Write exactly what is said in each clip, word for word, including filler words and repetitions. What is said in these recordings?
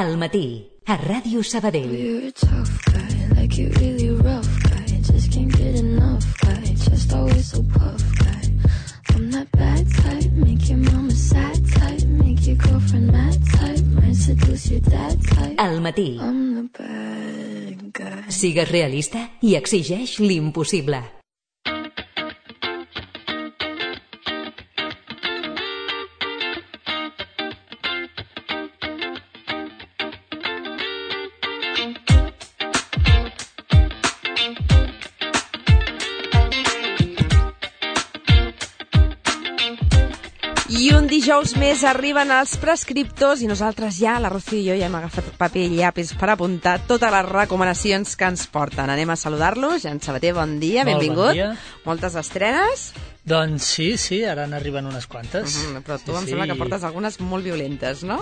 Al matí, a Ràdio Sabadell. You're a tough guy, like you're really rough guy. Just can't get enough guy, just always so puff guy. I'm that bad type, make your mama sad type, make your girlfriend mad type, might seduce your dad type. Al matí. I'm the bad guy. Sigues realista i exigeix l'impossible. I un dijous més arriben els prescriptors i nosaltres ja, la Rocío i jo, ja hem agafat paper i llapis per apuntar totes les recomanacions que ens porten. Anem a saludar-los. Jan Sabater, bon dia, Molt benvingut. Bon dia. Moltes estrenes. Doncs sí, sí, ara n'arriben unes quantes. Mm, però tu sí, em sí. sembla que portes algunes molt violentes, no?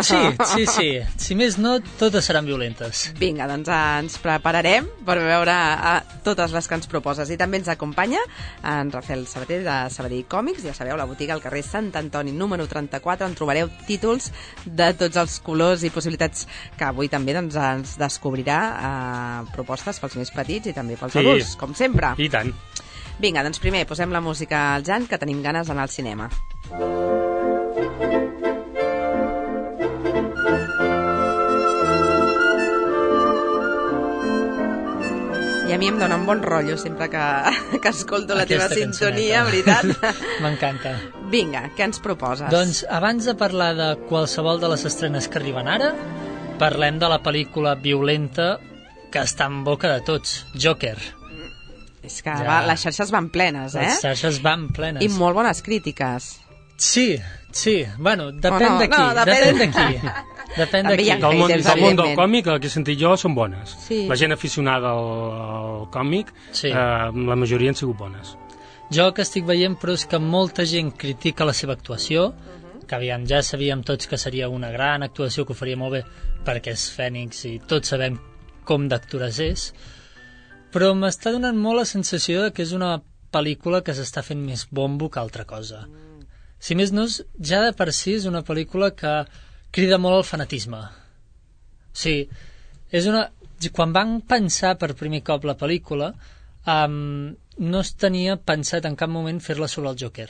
Sí, sí, sí. Si més no, totes seran violentes. Vinga, doncs ens prepararem per veure a totes les que ens proposes. I també ens acompanya en Rafael Sabater de Sabadell Còmics. Ja sabeu, la botiga al carrer Sant Antoni número trenta-quatre, on trobareu títols de tots els colors i possibilitats que avui també doncs, ens descobrirà eh, propostes pels més petits i també pels Sí. adults, com sempre. I tant. Vinga, doncs primer posem la música al Jan, que tenim ganes d'anar al cinema. I a mi em dona un bon rotllo sempre que, que escolto la Aquesta teva sintonia, cançoneta. veritat? M'encanta. Vinga, què ens proposes? Doncs abans de parlar de qualsevol de les estrenes que arriben ara, parlem de la pel·lícula violenta que està en boca de tots, Joker. És que Ja. va, les xarxes van plenes, eh? Les xarxes van plenes. I molt bones crítiques. Sí, sí. Bueno, depèn Oh, no, de qui. no, depèn- depèn de qui. Depèn de També qui. hi ha Del món, haters, del món del evidentment. còmic, el que he sentit jo, són bones. Sí. La gent aficionada al, al còmic, Sí. eh, la majoria han sigut bones. Jo el que estic veient, però, és que molta gent critica la seva actuació, que aviam, ja sabíem tots que seria una gran actuació, que ho faria molt bé, perquè és Fènix i tots sabem com d'actores és, però m'està donant molt la sensació de que és una pel·lícula que s'està fent més bombo que altra cosa. Si més no, és- ja de per si és una pel·lícula que crida molt al fanatisme. Sí, és una... Quan van pensar per primer cop la pel·lícula, um, no es tenia pensat en cap moment fer-la sobre el Joker,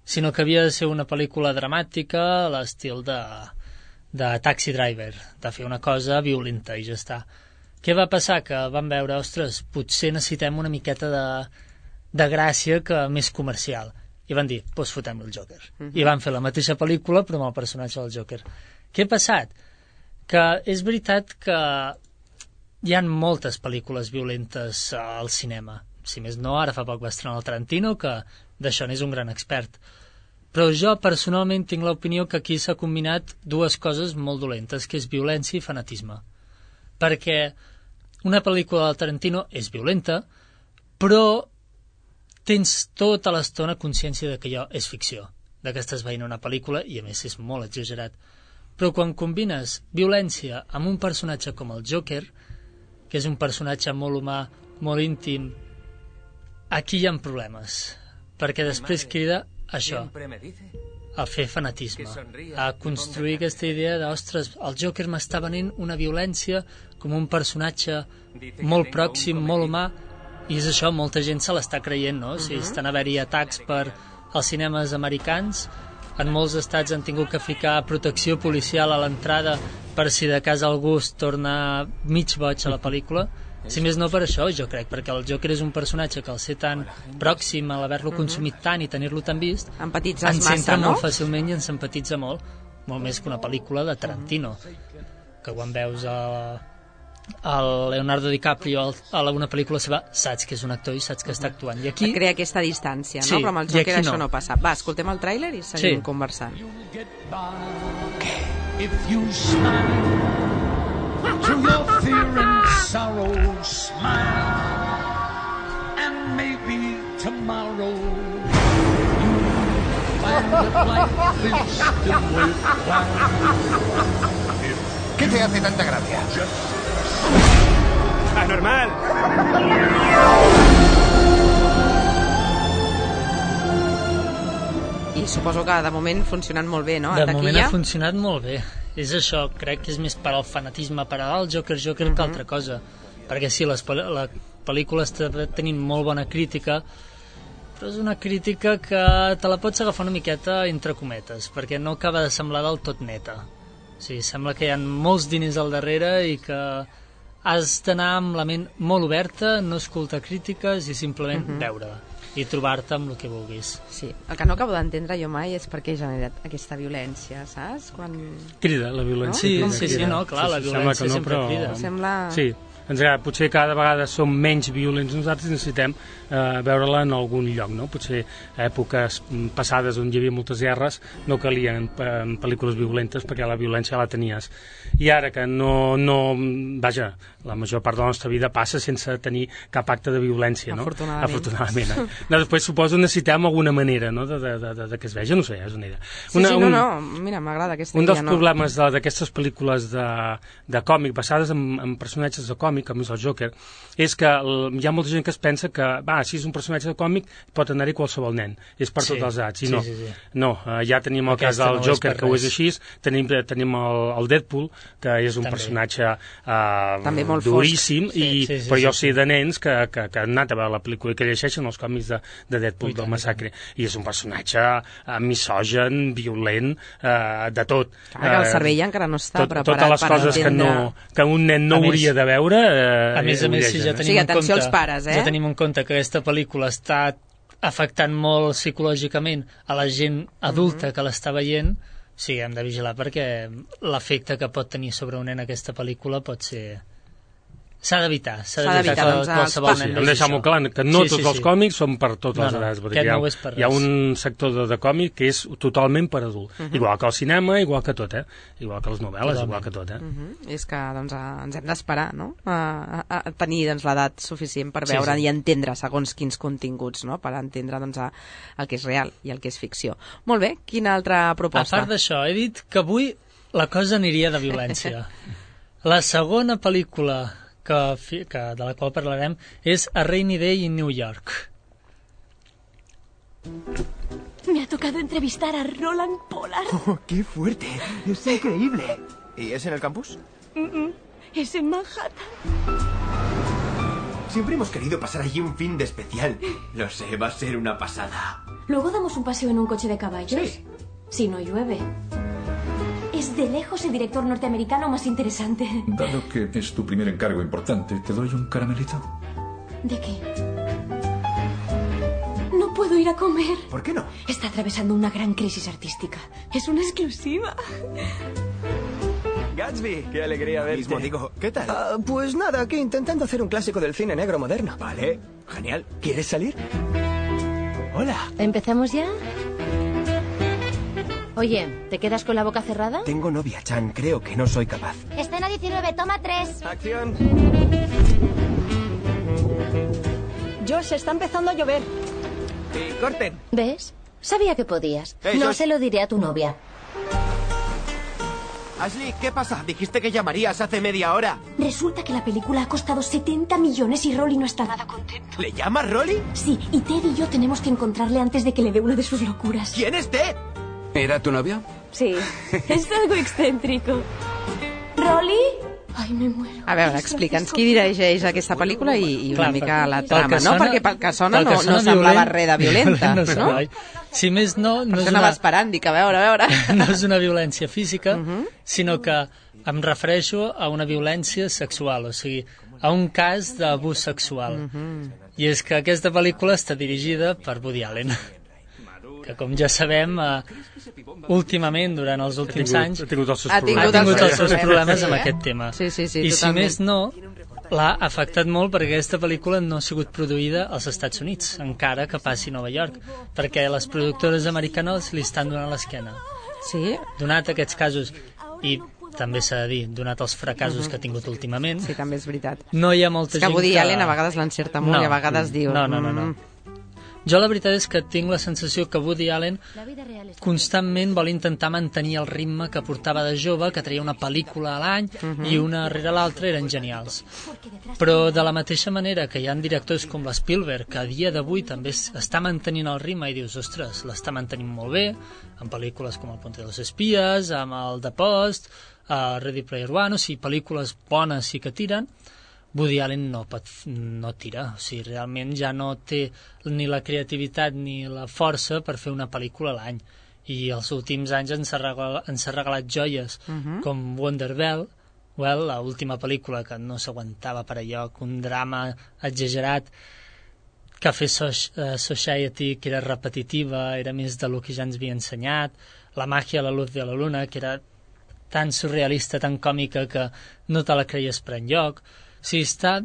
sinó que havia de ser una pel·lícula dramàtica a l'estil de, de Taxi Driver, de fer una cosa violenta i ja està. Què va passar? Que van veure, ostres, potser necessitem una miqueta de, de gràcia que més comercial. I van dir, doncs fotem el Joker. Uh-huh. I van fer la mateixa pel·lícula però amb el personatge del Joker. Què ha passat? Que és veritat que hi ha moltes pel·lícules violentes al cinema. Si més no, ara fa poc va estrenar el Tarantino, que d'això n'és un gran expert. Però jo personalment tinc l'opinió que aquí s'ha combinat dues coses molt dolentes, que és violència i fanatisme. Perquè una pel·lícula del Tarantino és violenta, però tens tota l'estona consciència de que allò és ficció, de que estàs veient una pel·lícula i a més és molt exagerat. Però quan combines violència amb un personatge com el Joker, que és un personatge molt humà, molt íntim, aquí hi ha problemes, perquè després crida això, a fer fanatisme, a construir aquesta idea de, ostres, el Joker m'està venint una violència com un personatge molt pròxim, molt humà, i és això, molta gent se l'està creient, no? Si estan a haver-hi atacs per als cinemes americans, en molts estats han tingut que ficar protecció policial a l'entrada per si de cas algú es torna mig boig a la pel·lícula. Si més no per això, jo crec, perquè el Joker és un personatge que al ser tan pròxim, a l'haver-lo consumit tant i tenir-lo tan vist, Empatitzes ens massa, entra no? molt fàcilment i ens empatitza molt, molt més que una pel·lícula de Tarantino, que quan veus a, el Leonardo DiCaprio a alguna pel·lícula seva, saps que és un actor i saps que està actuant. I aquí... Crea aquesta distància, no? Sí, Però amb el i Joker aquí això no. no passa. Va, escoltem el tràiler i seguim Sí. conversant. If you smile through your fear and sorrow, smile, and maybe tomorrow you'll find that life is still worthwhile. ¿Qué te hace tanta gracia? Anormal! I suposo que de moment funcionant molt bé, no? De A moment taquilla. ha funcionat molt bé. és això, crec que és més per al fanatisme per al Joker Joker Mhm. que altra cosa, perquè sí, les, pel- la pel·lícula està tenint molt bona crítica, però és una crítica que te la pots agafar una miqueta entre cometes, perquè no acaba de semblar del tot neta. O sigui, sembla que hi ha molts diners al darrere i que has d'anar amb la ment molt oberta, no escoltar crítiques i simplement Mhm. veure-la i trobar-te amb el que vulguis. Sí, el que no acabo d'entendre jo mai és per què ha generat aquesta violència, saps? Quan... Crida, la violència. Sí, crida, sí, sí, crida. no, clar, la sembla violència que no, sempre però- crida. Sembla... Sí, ens agrada. Potser cada vegada som menys violents nosaltres i necessitem eh, veure-la en algun lloc, no? Potser a èpoques mm, passades on hi havia moltes guerres no calien eh, pel·lícules violentes perquè la violència la tenies. I ara que no, no... Vaja, la major part de la nostra vida passa sense tenir cap acte de violència, no? Afortunadament. Afortunadament. Eh? No, després suposo necessitem alguna manera, no?, de, de, de, de que es vegi, no sé, és una idea. Sí, Una, sí, no, un- no, mira, m'agrada aquesta un dels idea, no? problemes de- d'aquestes pel·lícules de, de còmic basades en, en personatges de còmic, com és el Joker, és que el, hi ha molta gent que es pensa que, va, si és un personatge de còmic pot anar-hi qualsevol nen, és per Sí, tots els edats, i sí, no, sí, sí. no eh, ja tenim el Aquesta cas del no és Joker per que ho és res. així, tenim, tenim el, el Deadpool, que és un També. personatge eh, També molt fosc. duríssim, Sí. i, Sí, sí, però sí, jo sí. sé de nens que, que, que han anat a veure la pel·lícula i que llegeixen els còmics de, de Deadpool, Ui, del tant, massacre, i és un personatge eh, misògen, violent, eh, de tot. Clar, que el Eh, cervell encara no està tot, preparat totes les per coses que, entendre... no, que un nen no A més- hauria de veure eh, A més a ho més, si llegeixen, ja eh? tenim Sí, en atenció compte, als pares, eh? ja tenim en compte que aquesta pel·lícula està afectant molt psicològicament a la gent adulta que l'està veient, sí, hem de vigilar perquè l'efecte que pot tenir sobre un nen aquesta pel·lícula pot ser... S'ha d'evitar, s'ha S'ha d'evitar d'evitar, que doncs, els qualsevol pa- Sí, nen hem de vegi deixar això. molt clar que no Sí, tots sí, els sí. còmics són per totes No, les no, edats, perquè aquest hi ha, no ho és per hi ha res. un sector de, de còmic que és totalment per adult, igual que el cinema, igual que tot, eh? Igual que les novel·les, Totalment. igual que tot, eh? Mhm. És que doncs, a, ens hem d'esperar, no?, a, a, a tenir doncs, l'edat suficient per Sí, veure sí. i entendre segons quins continguts, no?, per entendre doncs, a, el que és real i el que és ficció. Molt bé, quina altra A proposta? part d'això, he dit que avui la cosa aniria de violència. La segona pel·lícula que, fi- que, de la qual parlarem és A Rainy Day in New York. Me ha tocado entrevistar a Roland Pollard. Oh, ¡qué fuerte! ¡Es increíble! ¿Y es en el campus? Es en Manhattan. Siempre hemos querido pasar allí un fin de especial. Lo sé, va a ser una pasada. Luego damos un paseo en un coche de caballos. Sí. Si no llueve. Es de lejos el director norteamericano más interesante. Dado que es tu primer encargo importante, ¿te doy un caramelito? ¿De qué? No puedo ir a comer. ¿Por qué no? Está atravesando una gran crisis artística. Es una exclusiva. Gatsby, qué alegría verte. Mismo digo, ¿qué tal? Ah, pues nada, aquí intentando hacer un clásico del cine negro moderno. Vale, genial. ¿Quieres salir? Hola. ¿Empezamos ya? Oye, ¿te quedas con la boca cerrada? Tengo novia, Chan. Creo que no soy capaz. Escena diecinueve, toma tres. ¡Acción! Josh, está empezando a llover. Sí, corten. ¿Ves? Sabía que podías. Hey, no Josh. se lo diré a tu novia. Ashley, ¿qué pasa? Dijiste que llamarías hace media hora. Resulta que la película ha costado setenta millones y Rolly no está nada contento. ¿Le llamas Rolly? Sí, y Ted y yo tenemos que encontrarle antes de que le dé una de sus locuras. ¿Quién es Ted? ¿Era tu novio? Sí, es algo excéntrico. ¿Rolly? Ay, me muero. A veure, explica'ns qui dirigeix aquesta pel·lícula i, i una Clar, mica pel- la pel trama, que no? sona- Perquè pel que sona pel no, que no sona semblava violent, res de violenta, no? no? sembla, oi? Si més no, no Per és això anava una, esperant, dic, a veure, a veure. no és una violència física, sinó que em refereixo a una violència sexual, o sigui, a un cas d'abús sexual. I és que aquesta pel·lícula està dirigida per Woody Allen, que com ja sabem, eh, últimament, durant els últims tingut- anys, ha tingut els seus Ha tingut ha tingut els els seus seus problemes, problemes amb sí, eh? aquest tema. Sí, sí, sí, I totalment. si més no, l'ha afectat molt perquè aquesta pel·lícula no ha sigut produïda als Estats Units, encara que passi a Nova York, perquè les productores americanes li estan donant l'esquena. Sí? Donat aquests casos, i també s'ha de dir, donat els fracassos que ha tingut últimament, Sí, també és veritat. no hi ha molta És que gent Woody que... Allen a vegades l'encerta molt i a vegades diu... No, no, no, no. mm, Jo la veritat és que tinc la sensació que Woody Allen constantment vol intentar mantenir el ritme que portava de jove, que treia una pel·lícula a l'any Mhm. i una rere l'altra eren genials. Però de la mateixa manera que hi ha directors com l'Spielberg, que a dia d'avui també es- està mantenint el ritme i dius, ostres, l'està mantenint molt bé, amb pel·lícules com El Puente de los Espías, amb el The Post, uh, Ready Player One, o sigui, pel·lícules bones sí que tiren. Woody Allen no pot, no tira, o sigui, realment ja no té ni la creativitat ni la força per fer una pel·lícula a l'any, i els últims anys ens ha regalat, ens ha regalat joies Mhm. com Wonder Bell, well, la última pel·lícula que no s'aguantava per allò, un drama exagerat, Café so uh, Society, que era repetitiva, era més del que ja ens havia ensenyat, La màgia a la luz de la luna, que era tan surrealista, tan còmica que no te la creies per enlloc. O sigui, està,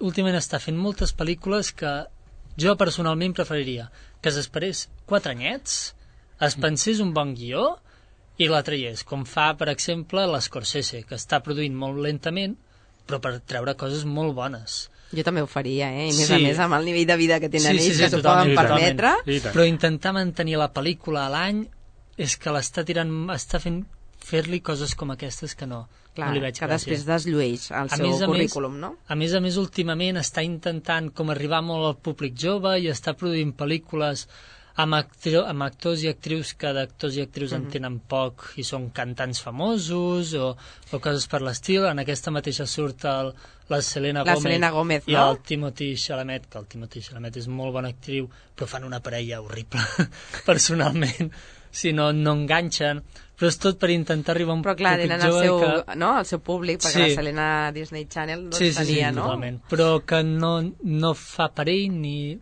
últimament està fent moltes pel·lícules que jo personalment preferiria que s'esperés quatre anyets, es pensés un bon guió i la traiés, com fa, per exemple, l'Scorsese, que està produint molt lentament, però per treure coses molt bones. Jo també ho faria, eh? I més Sí. a més amb el nivell de vida que tenen Sí, sí, ells, sí, que s'ho totalment, poden permetre. totalment. Però intentar mantenir la pel·lícula a l'any és que l'està tirant, està fent fer-li coses com aquestes que no, Clar, no li veig que gràcia. després desllueix el A seu més a currículum, més, no? A més a més, últimament està intentant com arribar molt al públic jove i està produint pel·lícules amb, actri amb actors i actrius que d'actors i actrius en Mhm. tenen poc i són cantants famosos o, o coses per l'estil. En aquesta mateixa surt el, la Selena La Gomez, Selena Gomez, i no? el Timothy Chalamet, que el Timothy Chalamet és molt bona actriu, però fan una parella horrible personalment, si no, no enganxen, però és tot per intentar arribar a un Però clar, públic tenen el jove seu, que... no, el seu públic, perquè Sí. la Selena Disney Channel doncs Sí, sí, sí, tenia, no? totalment. Però que no, no fa per ell ni...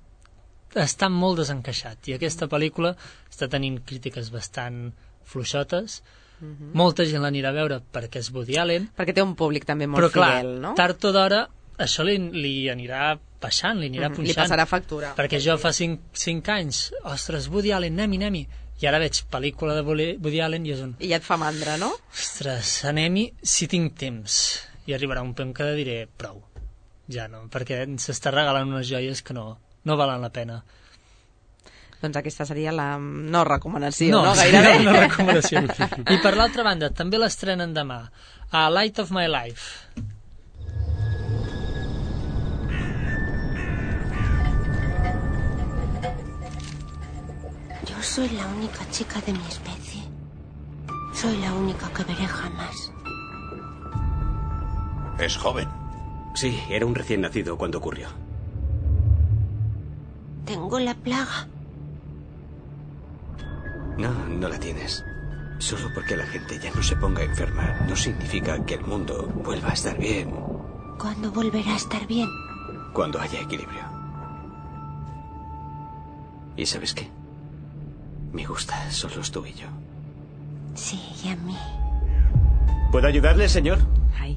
està molt desencaixat. I aquesta pel·lícula està tenint crítiques bastant fluixotes. Mhm. Molta gent l'anirà a veure perquè és Woody Allen. Perquè té un públic també molt però, clar, fidel, no? tard o d'hora això li, li anirà baixant, li anirà Mhm, punxant. li passarà factura. Perquè jo fa cinc, cinc anys, ostres, Woody Allen, anem-hi, anem-hi. I ara veig pel·lícula de Woody Allen i és un... I ja et fa mandra, no? Ostres, anem-hi si tinc temps. I arribarà un punt que diré prou. Ja no, perquè s'està regalant unes joies que no, no valen la pena. Doncs aquesta seria la no recomanació, no, no? Sí, Gairebé. no, no recomanació. I per l'altra banda, també l'estrenen demà, a Light of My Life. Yo soy la única chica de mi especie. Soy la única que veré jamás. Es joven. Sí, era un recién nacido cuando ocurrió. Tengo la plaga. No, no la tienes. Solo porque la gente ya no se ponga enferma no significa que el mundo vuelva a estar bien ¿Cuándo volverá a estar bien? cuando haya equilibrio. ¿Y sabes qué? Me gusta, solo tú y yo. Sí, y a mí. ¿Puedo ayudarle, señor? Ai,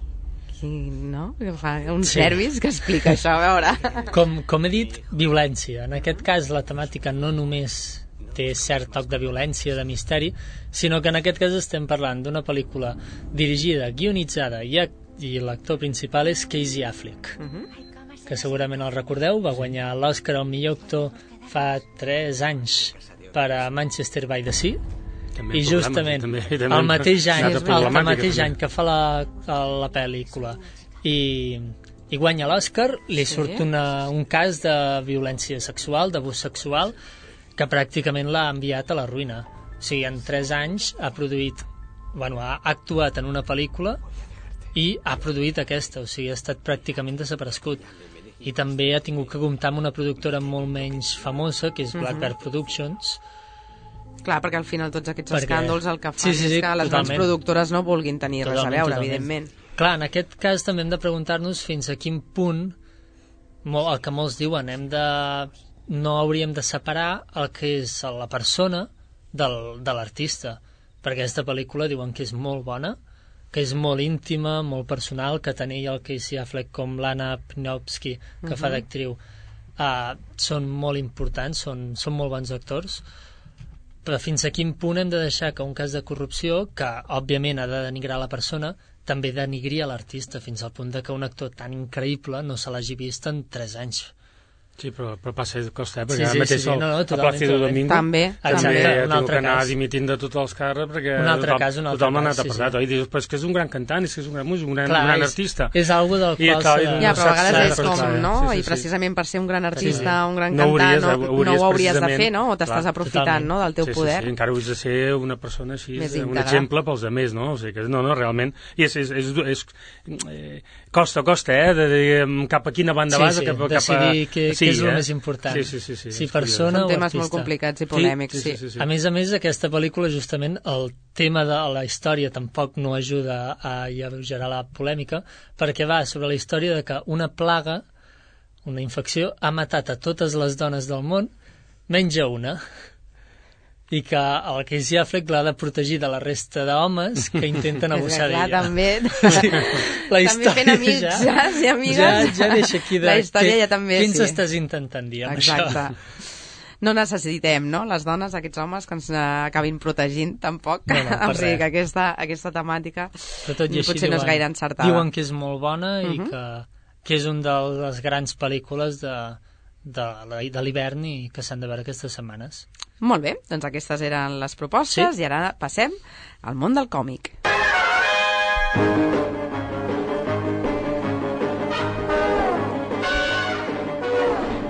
qui, no? Que fa un Sí. service que explica això, a veure. Com, com he dit, violència. En aquest cas la temàtica no només té cert toc de violència, de misteri, sinó que en aquest cas estem parlant d'una pel·lícula dirigida, guionitzada i, i l'actor principal és Casey Affleck, que segurament el recordeu, va guanyar l'Oscar al millor actor fa tres anys per a Manchester by the Sea. També I problemes, justament també, també el mateix any, una altra el problemàtica, mateix també. any que fa la, la pel·lícula i, i guanya l'Oscar, li Sí. surt una, un cas de violència sexual, d'abús sexual, que pràcticament l'ha enviat a la ruïna. O sigui, en tres anys ha produït, bueno, ha actuat en una pel·lícula i ha produït aquesta, o sigui, ha estat pràcticament desaparegut. I també ha tingut que comptar amb una productora molt menys famosa, que és Mhm. Blackbird Productions. Clar, perquè al final tots aquests Perquè- escàndols el que fan Sí, sí, sí, és que les grans totalment. productores no vulguin tenir res a Totalment, veure, totalment. evidentment. Clar, en aquest cas també hem de preguntar-nos fins a quin punt, mo- el que molts diuen, hem de, no hauríem de separar el que és la persona del, de l'artista, perquè aquesta pel·lícula diuen que és molt bona, que és molt íntima, molt personal, que tant ell el Casey Affleck com l'Anna Pnowski, que fa Mhm. d'actriu, uh, són molt importants, són, són molt bons actors, però fins a quin punt hem de deixar que un cas de corrupció, que òbviament ha de denigrar la persona, també denigri a l'artista, fins al punt de que un actor tan increïble no se l'hagi vist en tres anys. Sí, però, però passa costa, eh? Perquè Sí, ara sí, mateix sí, sí, el, no, no, a totalment, Plàcido totalment. Domingo També. també Exacte, he un tingut altre que anar cas. dimitint de tots els càrrecs perquè Un altre tothom, cas, un altre tothom ha cas, anat sí, apartat, sí. oi? Dius, però és que és un gran cantant, és que és un gran músic, un gran, Clar, un gran és- artista. és algo del I, qual clar, s'ha i de- no Ja, però a saps- vegades és saps- com, clar, no? sí, sí, I sí. precisament per ser un gran artista, Sí, sí. un gran No cantant, hauries, no, hauries no ho hauries de precisament- fer, no? O t'estàs clar, aprofitant, no?, del teu sí, poder. Sí, sí, encara hauries de ser una persona així, Més un íntegra. exemple pels altres, no? O sigui que, no, no, realment, i és, és, és, és eh, costa, costa, eh, de, de, cap a quina banda Sí, vas, sí, cap, cap a... decidir què- sí, què és el eh? més important. Sí, sí, sí, sí, Si és persona curiós. o Són temes artista. molt complicats i polèmics, sí. Sí, sí, sí. A més a més, aquesta pel·lícula, justament, el tema de la història tampoc no ajuda a alleugerar la polèmica, perquè va sobre la història de que una plaga, una infecció, ha matat a totes les dones del món, menys a una, i que el Casey Affleck l'ha de protegir de la resta d'homes que intenten abusar Clar, d'ella. també. Sí. La També història fent amics, ja, ja, sí, amigues. ja, ja deixa aquí de... La història què- ja també, Què ens sí. estàs intentant dir amb Exacte. això? No necessitem, no?, les dones, aquests homes que ens eh, acabin protegint, tampoc. No, no, per o sigui res. que aquesta, aquesta temàtica Però tot i així potser diuen, no és gaire encertada. diuen que és molt bona i Mhm. que, que és una de les grans pel·lícules de, de, la- de l'hivern i que s'han de veure aquestes setmanes. Molt bé, doncs aquestes eren les propostes, Sí. i ara passem al món del còmic.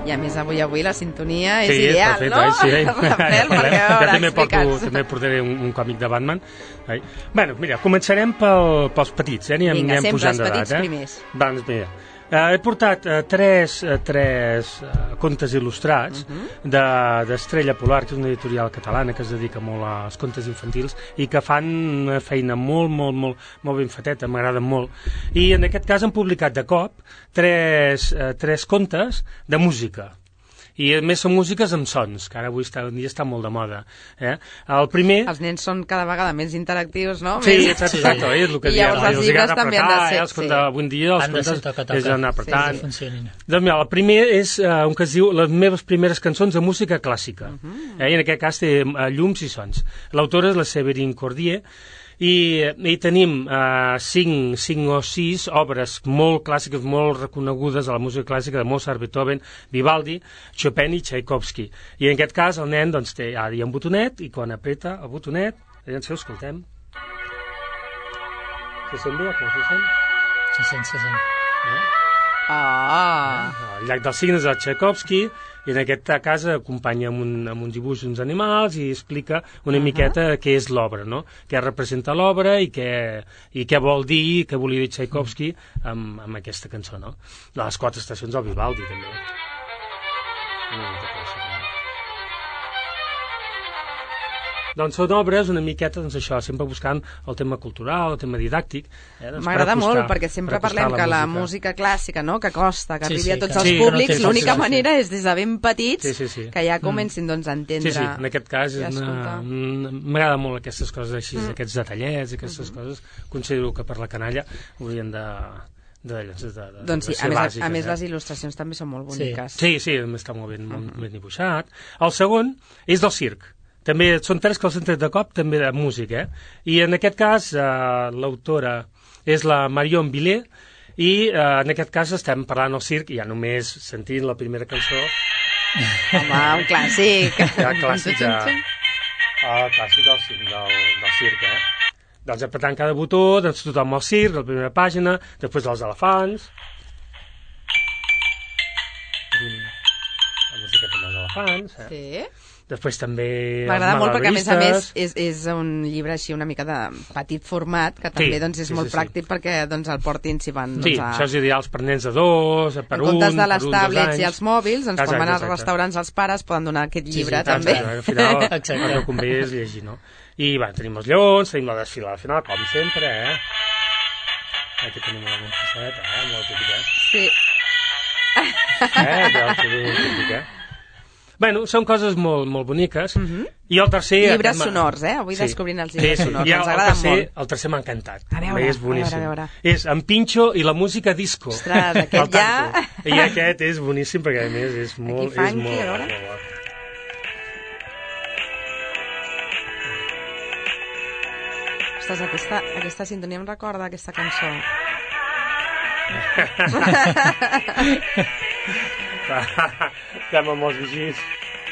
I a més avui avui la sintonia és Sí, ideal, perfecte, no? eh? Sí, eh? Rafael, perquè a jo veure, també porto, explica'ns. també portaré un, un còmic de Batman. Eh? Bueno, mira, començarem pel, pels petits, eh? Anem, Vinga, anem sempre pujant els petits d'edat, eh? primers. Doncs mira, eh, he portat eh, tres, eh, tres eh, contes il·lustrats Mhm. de d'Estrella Polar, que és una editorial catalana que es dedica molt als contes infantils i que fan una feina molt, molt, molt, molt ben feteta, m'agraden molt. I en aquest cas han publicat de cop tres, eh, tres contes de música. I a més són músiques amb sons, que ara avui està, un dia està molt de moda. Eh? El primer... Els nens són cada vegada més interactius, no? Sí, més... exacte, exacte, oi? És el que I diem, llavors oi? els Els llibres agrada també han de apretar, ser... eh? Els contes, avui en dia els Han de ser contes toca-toca. és anar apretant. Sí, sí, funcionin. Doncs mira, el primer és uh, un que es diu Les meves primeres cançons de música clàssica. Uh -huh. eh? I en aquest cas té uh, llums i sons. L'autora és la Séverine Cordier, i, i tenim uh, cinc, cinc o sis obres molt clàssiques, molt reconegudes a la música clàssica de Mozart, Beethoven, Vivaldi, Chopin i Tchaikovsky. I en aquest cas el nen doncs, té ara hi ha un botonet, i quan apreta el botonet, aviam, escoltem. Se sent bé o com se sent? Se sent, se sent. Eh? Ah! El llac dels signes de Tchaikovsky, i en aquest cas acompanya amb un, amb un dibuix d'uns animals i explica una uh -huh. miqueta què és l'obra, no? Què representa l'obra i, què, i què vol dir, què volia dir Tchaikovsky amb, amb aquesta cançó, no? Les quatre estacions del Vivaldi, també. Una mica pressa, no? Doncs són obres una miqueta, doncs això, sempre buscant el tema cultural, el tema didàctic. Eh? Doncs M'agrada per acostar- molt, perquè sempre per acostar parlem que la música clàssica, no?, que costa, que Sí, arribi sí, a tots que- els sí, que no públics, té l'única fàcil, sí. manera és des de ben petits Sí, sí, sí. que ja Mm. comencin doncs, a entendre... Sí, sí, en aquest cas i a és una... escoltar. mm, m'agrada molt aquestes coses així, Mm. aquests detallets, aquestes coses. Considero que per la canalla haurien de... de, de, de, de Doncs sí, de ser a més, bàsiques, a més eh? les il·lustracions també són molt boniques. Sí, sí, està molt ben, molt ben dibuixat. El segon és del circ. També són tres que els han tret de cop, també de música, eh? I en aquest cas eh, l'autora és la Marion Villet, i eh, en aquest cas estem parlant del circ, i ja només sentint la primera cançó... Home, un clàssic. Ja, clàssic de... El clàssic del, circ, del, del circ, eh? Doncs apretant cada botó, doncs tothom al circ, la primera pàgina, després els elefants... La música també dels elefants, eh? Sí. Després també... M'agrada molt perquè, a més a més, malabaristes. és, és un llibre així una mica de petit format, que també Sí, doncs, és sí, molt sí, sí. pràctic perquè doncs, el portin si van... Sí, doncs, a... això és ideal per nens de dos, per en un, comptes de per les un, dos tablets anys. i els mòbils, doncs Exacte, quan van als exacte. restaurants els pares poden donar aquest Sí, llibre sí, també. exacte, al final Exacte. el que convé és llegir, no? I bueno, tenim els lleons, tenim la desfilada final, com sempre, eh? Aquí tenim la montasseta, eh? Molt típic, eh? Sí. Eh? Ja, molt típic, eh? Bueno, són coses molt, molt boniques. I el tercer... Llibres m'ha- sonors, eh? Avui descobrint els llibres sí, sí. sonors, I el, ens el agraden tercer, molt. El tercer m'ha encantat. A veure, és boníssim. a veure, a veure. És en Pinxo i la música disco. Ostres, aquest El ja- tanto. I aquest és boníssim perquè, a més, és molt... funky, és molt, a veure. molt bo. Ostres, aquesta, aquesta sintonia em recorda aquesta cançó. Estem amb els vigis.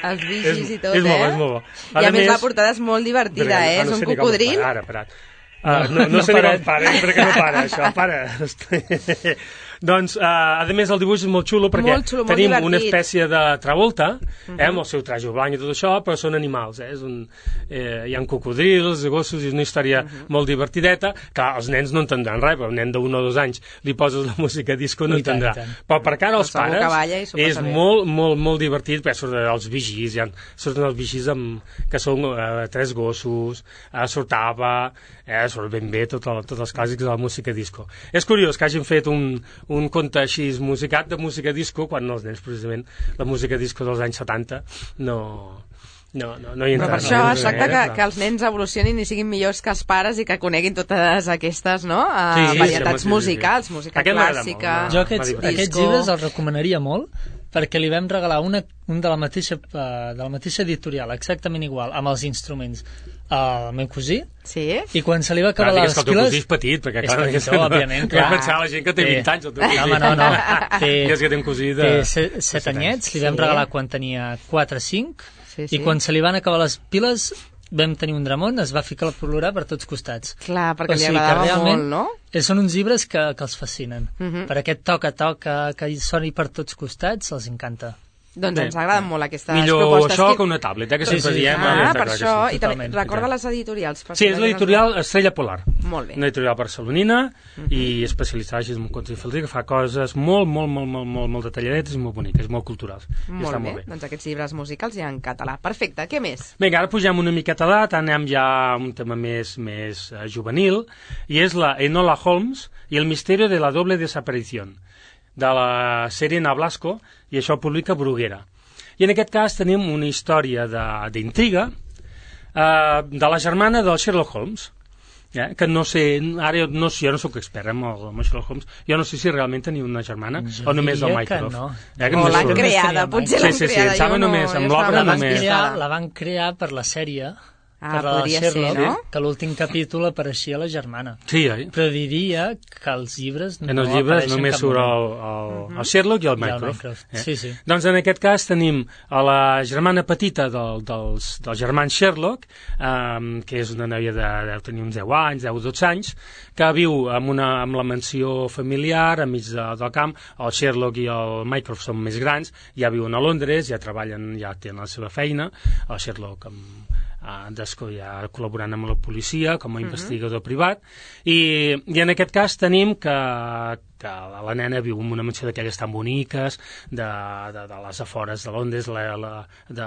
Els vigis és, i tot, és eh? Molt, és molt bo. I a més la portada és molt divertida, eh? És un cocodril. Ara, parat. Uh, no, no, no sé ni com para, perquè no para, això, para. Doncs, uh, a més, el dibuix és molt xulo perquè molt xulo, tenim molt una espècie de Travolta, eh, uh -huh. amb el seu traje blanc i tot això, però són animals, eh? És un, eh, hi ha cocodrils, gossos, i és una història uh -huh. molt divertideta. Clar, els nens no entendran res, però un nen d'un o dos anys li poses la música disco no entendrà. Però per cara als pares és molt, molt, molt divertit, perquè surten els vigis, ja, surten els vigis amb, que són eh, tres gossos, eh, surt Ava, eh, surt ben bé tot el, tots els clàssics de la música disco. És curiós que hagin fet un un conte així musicat de música disco quan els nens, precisament, la música disco dels anys setanta no, no, no, no hi entra. Però per això es tracta que, que els nens evolucionin i siguin millors que els pares i que coneguin totes aquestes, no? Uh, sí, sí, varietats sí, sí, musicals, sí. música Aquest clàssica, molt, jo aquests, aquests llibres els recomanaria molt perquè li vam regalar una, un de la mateixa uh, de la mateixa editorial, exactament igual, amb els instruments al meu cosí, sí? I quan se li va acabar clar, les piles... que el teu cosí és petit, perquè és clar... petitó, no, òbviament, clar. Vam pensar la gent que té té... vint anys, el teu cosí. Home, no, no. Té... I és que té un cosí de... Té set, set anyets, li vam sí. regalar quan tenia quatre o cinc, sí, sí. i quan se li van acabar les piles vam tenir un dramón, es va ficar a plorar per tots costats. Clar, perquè o sigui li agradava molt, no? Són uns llibres que, que els fascinen. Uh -huh. Per aquest toca-toca que hi soni per tots costats, els encanta. Doncs Bé, ens agraden molt aquestes millor propostes. això que... que una tablet, eh, que sí, sempre sí. diem. Ah, eh, per això, sí, i també recorda les editorials. Sí, és l'editorial Estrella Polar. Molt bé. Una editorial barcelonina uh -huh. i especialitzada així en contes infantil, que fa coses molt, molt, molt, molt, molt, molt detalladetes i molt boniques, molt culturals. Molt bé. molt bé, doncs aquests llibres musicals ja en català. Perfecte, què més? Vinga, ara pugem una miqueta d'edat, anem ja a un tema més, més uh, juvenil, i és la Enola Holmes i el misteri de la doble desaparició, de la sèrie Ana Blasco, i això publica Bruguera. I en aquest cas tenim una història d'intriga eh, de la germana del Sherlock Holmes, eh, que no sé, ara no, jo no sóc expert amb el, amb el Sherlock Holmes, jo no sé si realment tenia una germana jo o només el Mycroft. No. Eh, que o l'han surt. creada, potser l'han sí, sí, sí, creada. Sí, sí, sí, només, amb l'obra només. Crear, la van crear per la sèrie, Ah, per la podria Sherlock, ser, no? Que l'últim capítol apareixia la germana. Sí, eh? Però diria que els llibres no en els llibres apareixen només cap surt el, el, uh -huh. el Sherlock i el Mycroft. I el Mycroft. Eh? Sí, sí. Doncs en aquest cas tenim a la germana petita del, dels, dels germans Sherlock, eh, que és una noia de, de tenir uns deu anys, deu o dotze anys, que viu amb, una, amb la mansió familiar enmig de, del camp. El Sherlock i el Mycroft són més grans, ja viuen a Londres, ja treballen, ja tenen la seva feina. El Sherlock amb Uh, ja col·laborant amb la policia com a investigador uh -huh. privat i, i en aquest cas tenim que, que la nena viu en una mansió d'aquelles tan boniques de, de, de les afores de Londres, la, la, de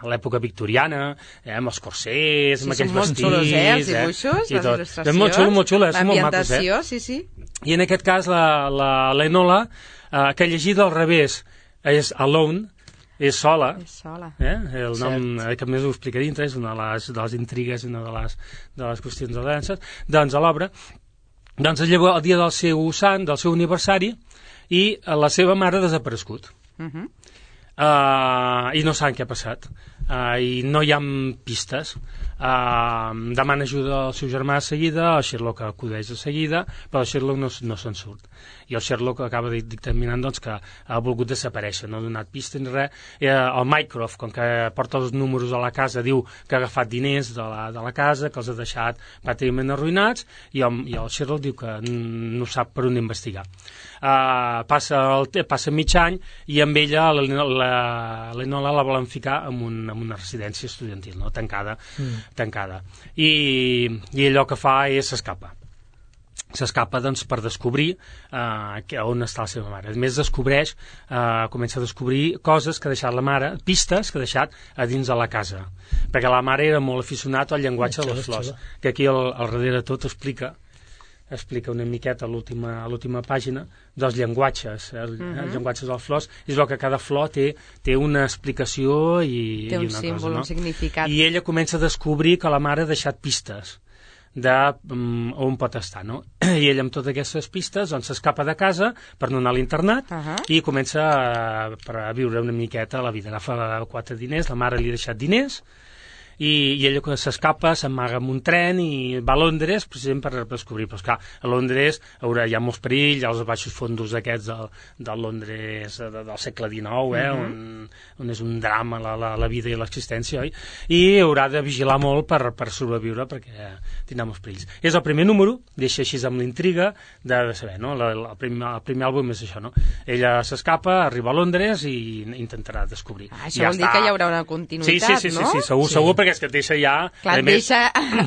l'època victoriana, eh, amb els corsers, sí, amb aquells molt vestits, xulos, eh, els dibuixos, eh, les il·lustracions, és molt xulo, molt xulo, són molt macos, eh? sí, sí. I en aquest cas la, la, la Enola, uh, que llegida al revés és Alone, és sola, és sola. Eh? El nom, eh, que més ho explica dintre, és una de les, de les intrigues, una de les, de les qüestions de danses, doncs a l'obra, doncs es lleva el dia del seu sant, del seu aniversari, i la seva mare ha desaparegut. Uh -huh. uh, I no saben què ha passat. Uh, I no hi ha pistes. Uh, demana ajuda al seu germà de seguida, el Sherlock acudeix de seguida, però el Sherlock no, no se'n surt. I el Sherlock acaba dictaminant doncs, que ha volgut desaparèixer, no ha donat pistes ni res. Eh, el Mycroft, com que porta els números a la casa, diu que ha agafat diners de la, de la casa, que els ha deixat pràcticament arruïnats, i el, i el Sherlock diu que no sap per on investigar. Uh, passa, el, passa mig any i amb ella l'Enola la, la volen ficar en, un, en una residència estudiantil, no? tancada, mm. tancada. I, I allò que fa és s'escapa. S'escapa doncs, per descobrir uh, que, on està la seva mare. A més, descobreix, uh, comença a descobrir coses que ha deixat la mare, pistes que ha deixat a dins de la casa. Perquè la mare era molt aficionat al llenguatge de les flors, que aquí al, al darrere tot explica explica una miqueta a l'última pàgina dels llenguatges, eh, els, uh-huh. els llenguatges de les flors, i es veu que cada flor té, té una explicació i, té un i una símbol, cosa, no? un significat. I ella comença a descobrir que la mare ha deixat pistes de um, on pot estar, no? I ella amb totes aquestes pistes doncs s'escapa de casa per no anar a l'internat uh-huh. i comença a, a viure una miqueta la vida. Agafa quatre diners, la mare li ha deixat diners i, i ella quan s'escapa s'amaga en un tren i va a Londres precisament per descobrir, però esclar, a Londres haurà, hi ha molts perills, hi ha els baixos fondos aquests del, del Londres de, del segle dinou, eh, uh-huh. on, on és un drama la, la, la vida i l'existència, oi? I haurà de vigilar molt per, per sobreviure perquè tindrà molts perills. És el primer número, deixa així amb l'intriga de, de saber, no? La, la, el, primer, el primer àlbum és això, no? Ella s'escapa, arriba a Londres i intentarà descobrir. Ah, això ja vol està... dir que hi haurà una continuïtat, sí, sí, sí, no? Sí, sí, segur, sí. segur, perquè és que et deixa ja... Clar, et deixa...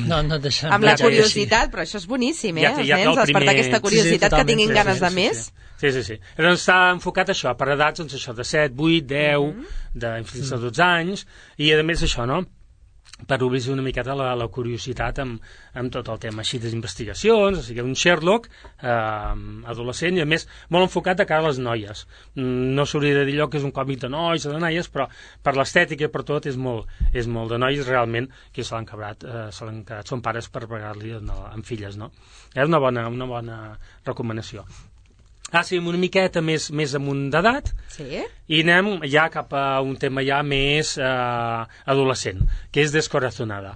No, no et deixa... amb la curiositat, però això és boníssim, eh? Ja, ja, els nens, despertar aquesta curiositat, sí, sí, que tinguin sí, ganes sí, de sí, més. Sí, sí, sí. Doncs està enfocat això, per edats, doncs això, de set, vuit, deu, mm-hmm. de fins a dotze anys, i a més això, no?, per obrir una miqueta la, la curiositat amb, amb tot el tema així d'investigacions, o sigui, un Sherlock eh, adolescent i a més molt enfocat de cara a les noies. No s'hauria de dir allò que és un còmic de nois o de noies, però per l'estètica i per tot és molt, és molt de noies realment que se l'han quebrat, eh, se l'han quedat són pares per pegar-li amb filles, no? És una bona, una bona recomanació. Ah, sí, una miqueta més, més amunt d'edat, sí? I anem ja cap a un tema ja més eh, adolescent, que és Descorazonada.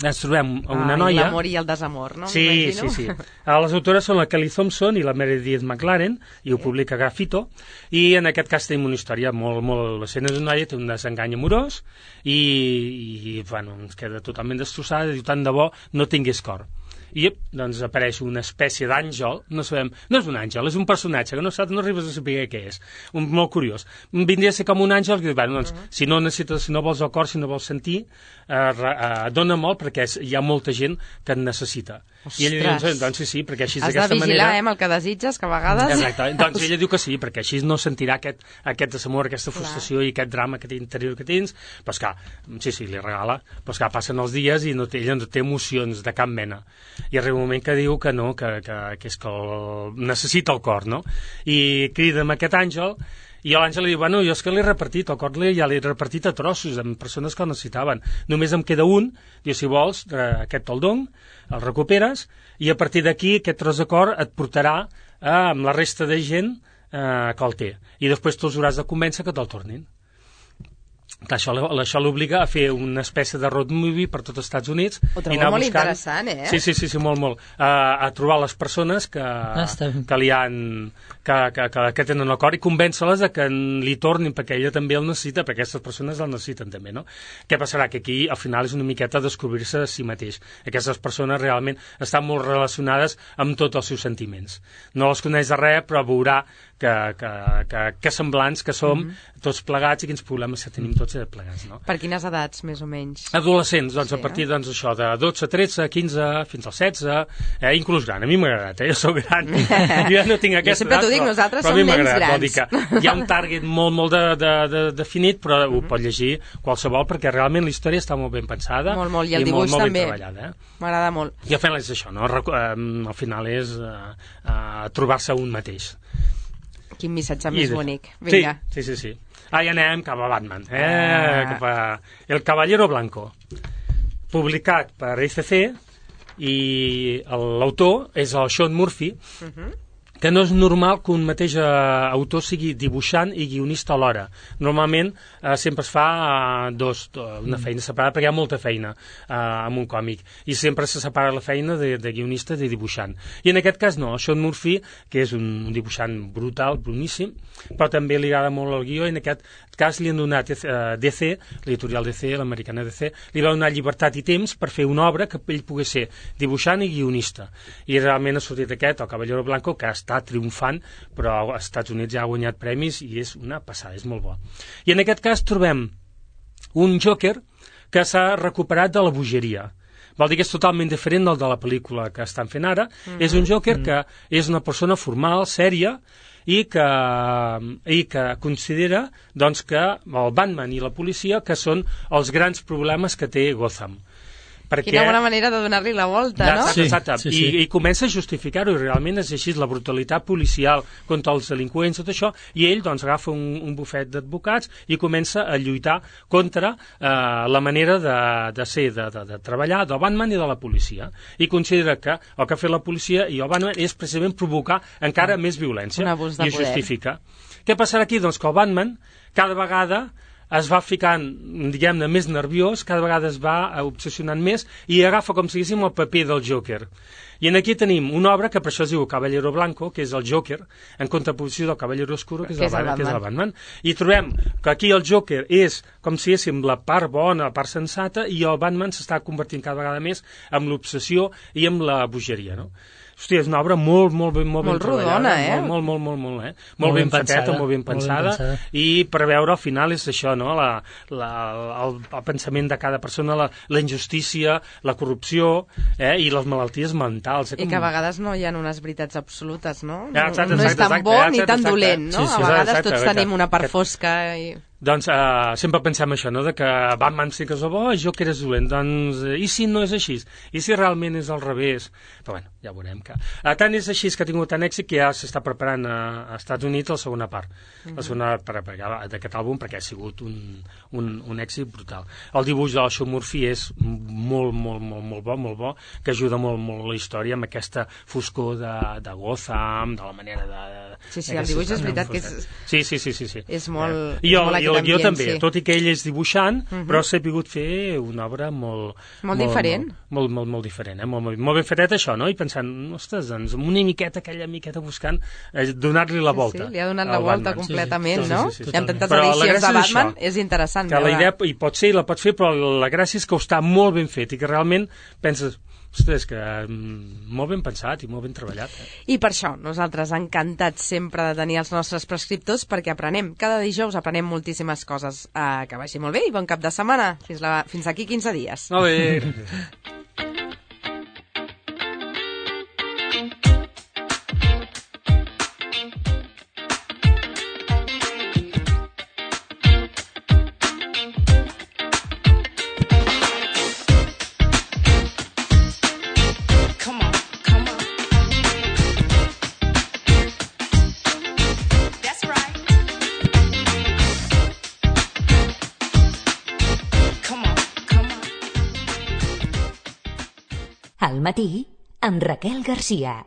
Ens trobem una Ai, noia... l'amor i el desamor, no? Sí, sí, sí. Les autores són la Kelly Thompson i la Meredith McLaren, i ho sí. publica Grafito, i en aquest cas tenim una història molt, molt adolescent. És una noia, té un desengany amorós, i, i bueno, ens queda totalment destrossada, i diu, tant de bo no tingués cor. I doncs apareix una espècie d'àngel, no sabem, no és un àngel, és un personatge que no saps, no arribes a saber què és, un, molt curiós. Vindria a ser com un àngel que diu, bueno, doncs, uh-huh. si no necessites, si no vols el cor, si no vols sentir, eh, eh, dona molt perquè és, hi ha molta gent que en necessita. Ostres. I ella diu, doncs, doncs sí, sí, perquè així has d'aquesta manera... Has de vigilar, eh, amb el que desitges, que a vegades... Exacte, doncs ella diu que sí, perquè així no sentirà aquest, aquest desamor, aquesta frustració clar. I aquest drama que té interior que tens, però esclar, sí, sí, li regala, però esclar, passen els dies i no té, ella no té emocions de cap mena. I arriba un moment que diu que no, que, que, que és que el, necessita el cor, no? I crida amb aquest àngel, i l'àngel li diu, bueno, jo és que l'he repartit, el cor ja l'he repartit a trossos, amb persones que el necessitaven. Només em queda un, diu, si vols, aquest te'l dono, el recuperes, i a partir d'aquí aquest tros de cor et portarà eh, amb la resta de gent eh, que el té. I després tu els hauràs de convèncer que te'l tornin. Clar, això, això l'obliga a fer una espècie de road movie per tots els Estats Units. Ho trobo molt buscant... interessant, eh? Sí, sí, sí, sí molt, molt. Uh, a trobar les persones que, ah, que li han... Que, que, que, que tenen el cor i convèncer-les de que li tornin, perquè ella també el necessita, perquè aquestes persones el necessiten també, no? Què passarà? Que aquí, al final, és una miqueta descobrir-se a si mateix. Aquestes persones realment estan molt relacionades amb tots els seus sentiments. No les coneix de res, però veurà que, que, que, que semblants que som mm-hmm. tots plegats i quins problemes que tenim tots plegats, no? Per quines edats, més o menys? Adolescents, doncs, sí, a partir, eh? doncs, això, de dotze, tretze, quinze, fins als setze, eh, inclús gran. A mi m'ha agradat, eh? Jo soc gran. Jo ja no tinc aquesta edat, dic, però, nosaltres però som a mi m'ha nens agradat. grans. Vol dir que hi ha un target molt, molt de, de, de, definit, però mm-hmm. ho pot llegir qualsevol, perquè realment la història està molt ben pensada. Molt, molt, i el i dibuix molt, molt també. Ben treballada, eh? M'agrada molt. I al final és això, no? Al final és uh, uh, trobar-se un mateix. Quin missatge més I, bonic. Vinga. Sí, sí, sí, sí. Ah, ja anem cap a Batman, eh? Ah. Cap a El Caballero Blanco, publicat per I C C, i l'autor és el Sean Murphy, uh-huh. que no és normal que un mateix eh, autor sigui dibuixant i guionista alhora. Normalment eh, sempre es fa eh, dos, una feina separada, perquè hi ha molta feina eh, amb un còmic, i sempre se separa la feina de, de guionista i de dibuixant. I en aquest cas no, Sean Murphy, que és un dibuixant brutal, boníssim, però també li agrada molt el guió, i en aquest cas li han donat eh, D C, l'editorial D C, l'americana D C, li va donar llibertat i temps per fer una obra que ell pogués ser dibuixant i guionista. I realment ha sortit aquest, el Caballero Blanco, que ha està triomfant, però als Estats Units ja ha guanyat premis i és una passada, és molt bo. I en aquest cas trobem un Joker que s'ha recuperat de la bogeria. Vol dir que és totalment diferent del de la pel·lícula que estan fent ara. Mm-hmm. És un Joker mm-hmm. que és una persona formal, sèria, i que, i que considera doncs, que el Batman i la policia que són els grans problemes que té Gotham. Perquè... Quina bona manera de donar-li la volta, ja, no? Exacte, exacte. Sí, sí, sí. I, i comença a justificar-ho, i realment és així, la brutalitat policial contra els delinqüents, tot això, i ell doncs agafa un, un bufet d'advocats i comença a lluitar contra eh, la manera de, de ser, de, de, de treballar del Batman i de la policia. I considera que el que ha fet la policia i el Batman és precisament provocar encara més violència. Un abús de i poder. Justifica. Què passarà aquí? Doncs que el Batman cada vegada es va ficant, diguem-ne, més nerviós, cada vegada es va obsessionant més i agafa com si diguéssim el paper del Joker. I en aquí tenim una obra que per això es diu Caballero Blanco, que és el Joker, en contraposició del Caballero Oscuro, que és, que el, és, el Batman, que és el Batman. I trobem que aquí el Joker és com si diguéssim la part bona, la part sensata, i el Batman s'està convertint cada vegada més en l'obsessió i en la bogeria, no? Hòstia, és una obra molt, molt, ben, molt, molt ben rodona, treballada. Eh? Molt, molt, molt, molt, eh? Molt, molt ben, ben fateta, molt ben pensada. Molt ben pensada. I per veure al final és això, no? La, la, el, el pensament de cada persona, la, la injustícia, la corrupció, eh? I les malalties mentals. Eh? I que a vegades no hi ha unes veritats absolutes, no? Ja, exacte, no, no és tan exacte, bo exacte, ni tan exacte, dolent, no? sí, sí, a vegades exacte, tots exacte, tenim una part fosca i... Doncs uh, sempre pensem això, no?, de que Batman sí que és el bo i jo que eres dolent. Doncs, uh, i si no és així? I si realment és al revés? Però bueno, ja veurem que... Uh, tant és així que ha tingut tant èxit que ja s'està preparant a, a Estats Units la segona part. Mm-hmm. La segona part d'aquest àlbum, perquè ha sigut un, un, un èxit brutal. El dibuix del Sean Murphy és molt, molt, molt, molt bo, molt bo, que ajuda molt, molt la història amb aquesta foscor de, de Gotham, de la manera de... Sí, sí, el dibuix és veritat que és... Sí, sí, sí, sí, sí. És molt... Eh, I el, i el guió també, sí. tot i que ell és dibuixant, uh-huh. però s'ha pogut fer una obra molt... Molt, molt diferent. Molt, molt, molt, molt diferent, eh? Molt, molt, molt ben fetet això, no? I pensant, ostres, doncs, amb una miqueta, aquella miqueta buscant, eh, donar-li la volta. Sí, sí, li ha donat la volta Batman. completament, sí, sí, no? sí, sí, sí, I amb tantes però edicions de Batman és, és interessant. Que la idea, i pot ser, i la pot fer, però la gràcia és que ho està molt ben fet i que realment penses... Ostres, que mm, molt ben pensat i molt ben treballat. Eh? I per això nosaltres encantats sempre de tenir els nostres prescriptors perquè aprenem. Cada dijous aprenem moltíssimes coses. Uh, que vagi molt bé i bon cap de setmana. Fins, la, fins aquí quinze dies. Molt bé. Al matí, amb Raquel Garcia.